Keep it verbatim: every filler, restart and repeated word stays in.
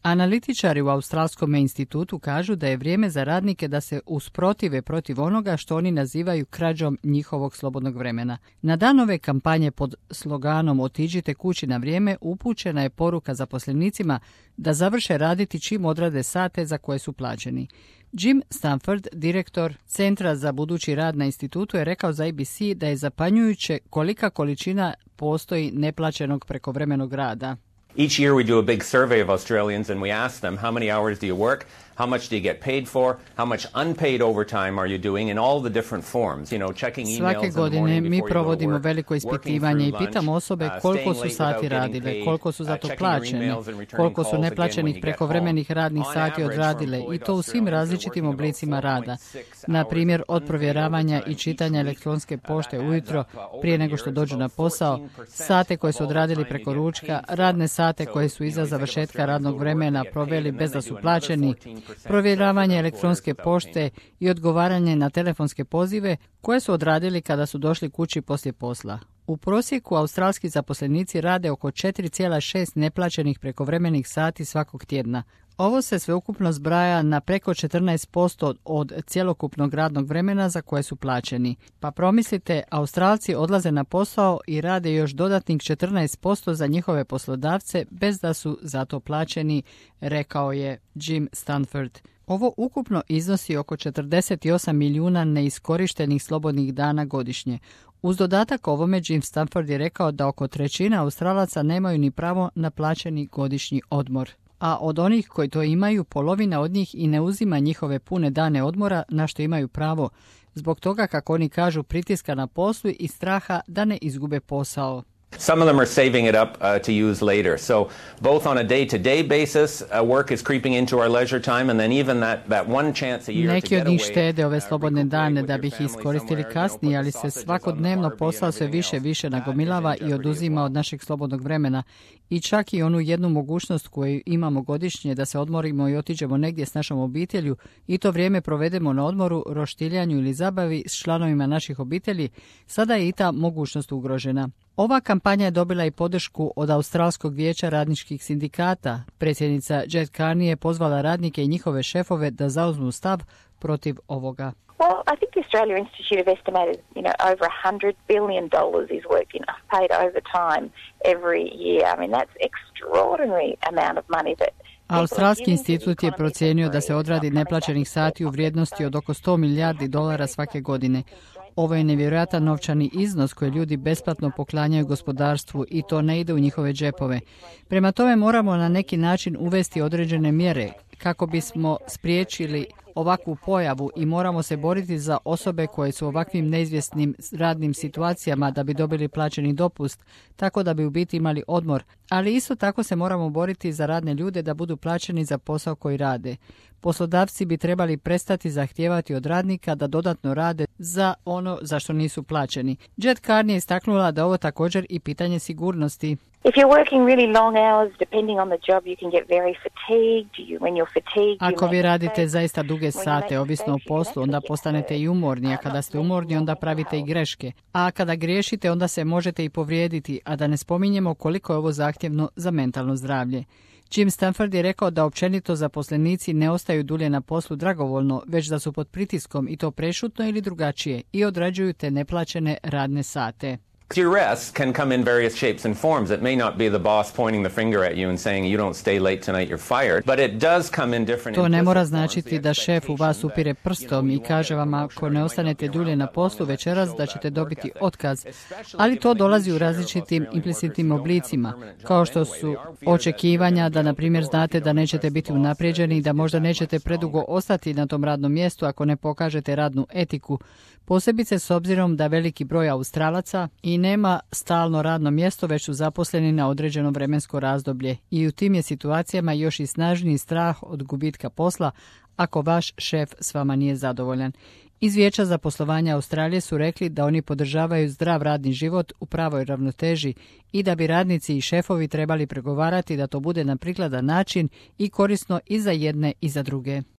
Analitičari u Australskom institutu kažu da je vrijeme za radnike da se usprotive protiv onoga što oni nazivaju krađom njihovog slobodnog vremena. Na dan ove kampanje pod sloganom Otiđite kući na vrijeme upućena je poruka zaposlenicima da završe raditi čim odrade sate za koje su plaćeni. Jim Stanford, direktor Centra za budući rad na institutu, je rekao za A B C da je zapanjujuće kolika količina postoji neplaćenog prekovremenog rada. Each year we do a big survey of Australians and we ask them how many hours do you work, how much do you get paid for, how much unpaid overtime are you doing in all the different forms, you know, checking emails. Svake godine mi provodimo veliko ispitivanje i pitamo osobe koliko su sati radile, koliko su za to plaćene, koliko su neplaćenih prekovremenih radnih sati odradile i to u svim različitim oblicima rada. Na primjer, od provjeravanja i čitanja elektronske pošte ujutro prije nego što dođu na posao, sate koje su odradili preko ručka, radne sate koje su iza završetka radnog vremena proveli bez da su plaćeni, provjeravanje elektronske pošte i odgovaranje na telefonske pozive koje su odradili kada su došli kući poslije posla. U prosjeku australski zaposlenici rade oko četiri zarez šest neplaćenih prekovremenih sati svakog tjedna. Ovo se sveukupno zbraja na preko četrnaest posto od cjelokupnog radnog vremena za koje su plaćeni. Pa promislite, Australci odlaze na posao i rade još dodatnih četrnaest posto za njihove poslodavce bez da su za to plaćeni, rekao je Jim Stanford. Ovo ukupno iznosi oko četrdeset osam milijuna neiskorištenih slobodnih dana godišnje. Uz dodatak ovome, Jim Stanford je rekao da oko trećina Australaca nemaju ni pravo na plaćeni godišnji odmor. A od onih koji to imaju, polovina od njih i ne uzima njihove pune dane odmora na što imaju pravo, zbog toga, kako oni kažu, pritiska na poslu i straha da ne izgube posao. Some of them are saving it up uh, to use later. So both on a day-to-day basis, uh, work is creeping into our leisure time, and then even that, that one chance a year Neki to get od njih away, štede ove uh, slobodne dane da bi ih recuperate with your iskoristili family kasnije, somewhere, ali you know, se put the svakodnevno sausages on the posao sve barbie and više everything više else. nagomilava That is in i jeopardy oduzima as od well. našeg slobodnog vremena. I čak i onu jednu mogućnost koju imamo godišnje da se odmorimo i otiđemo negdje s našom obitelju i to vrijeme provedemo na odmoru, roštiljanju ili zabavi s članovima naših obitelji, sada je i ta mogućnost ugrožena. Ova kampanja je dobila i podršku od Australskog vijeća radničkih sindikata. Predsjednica Jet Carney je pozvala radnike i njihove šefove da zauzmu stav protiv ovoga. Well, I think the Australia Institute have estimated, you know, over one hundred billion dollars is worked in paid overtime every year. I mean, that's extraordinary amount of money that Australski institut je procijenio da se odradi neplaćenih sati u vrijednosti od oko sto milijardi dolara svake godine. Ovo je nevjerojatan novčani iznos koji ljudi besplatno poklanjaju gospodarstvu i to ne ide u njihove džepove. Prema tome moramo na neki način uvesti određene mjere kako bismo spriječili ovakvu pojavu i moramo se boriti za osobe koje su u ovakvim neizvjesnim radnim situacijama da bi dobili plaćeni dopust, tako da bi u biti imali odmor. Ali isto tako se moramo boriti za radne ljude da budu plaćeni za posao koji rade. Poslodavci bi trebali prestati zahtijevati od radnika da dodatno rade za ono za što nisu plaćeni. Jet Carney je istaknula da ovo također i pitanje sigurnosti. If you're working really long hours, depending on the job, you can get very fatigued. You, when you're fatigued, you Ako vi make radite mistakes. zaista duge sate, ovisno o poslu, onda postanete i umorni, a kada ste umorni, onda pravite i greške. A kada griješite, onda se možete i povrijediti, a da ne spominjemo koliko je ovo zahtjevno za mentalno zdravlje. Jim Stanford je rekao da općenito zaposlenici ne ostaju dulje na poslu dragovoljno, već da su pod pritiskom i to prešutno ili drugačije i odrađuju te neplaćene radne sate. Duress can come in various shapes and forms. It may not be the boss pointing the finger at you and saying you don't stay late tonight, you're fired, but it does come in different. To ne mora implicit forms, značiti the da šef u vas expectation upire that, prstom you know, i you kaže won't vam get a ako promotion, ne you might ostanete not be dulje around na that long poslu enough večeras to da show ćete that dobiti work ethic. otkaz. Especially Ali to given the dolazi u huge share of različitim Australian implicitnim workers who don't have a oblicima, permanent job kao što anyway. su They are fear that očekivanja you're da, na primjer, gonna znate be da able to nećete press biti the boss, unaprijeđeni i da that možda is nećete much predugo stronger. ostati na tom radnom mjestu ako ne pokažete radnu etiku. Posebice s obzirom da veliki broj Australaca i nema stalno radno mjesto, već su zaposleni na određeno vremensko razdoblje i u tim je situacijama još i snažniji strah od gubitka posla ako vaš šef s vama nije zadovoljan. Iz Vijeća za poslovanje Australije su rekli da oni podržavaju zdrav radni život u pravoj ravnoteži i da bi radnici i šefovi trebali pregovarati da to bude na prikladan način i korisno i za jedne i za druge.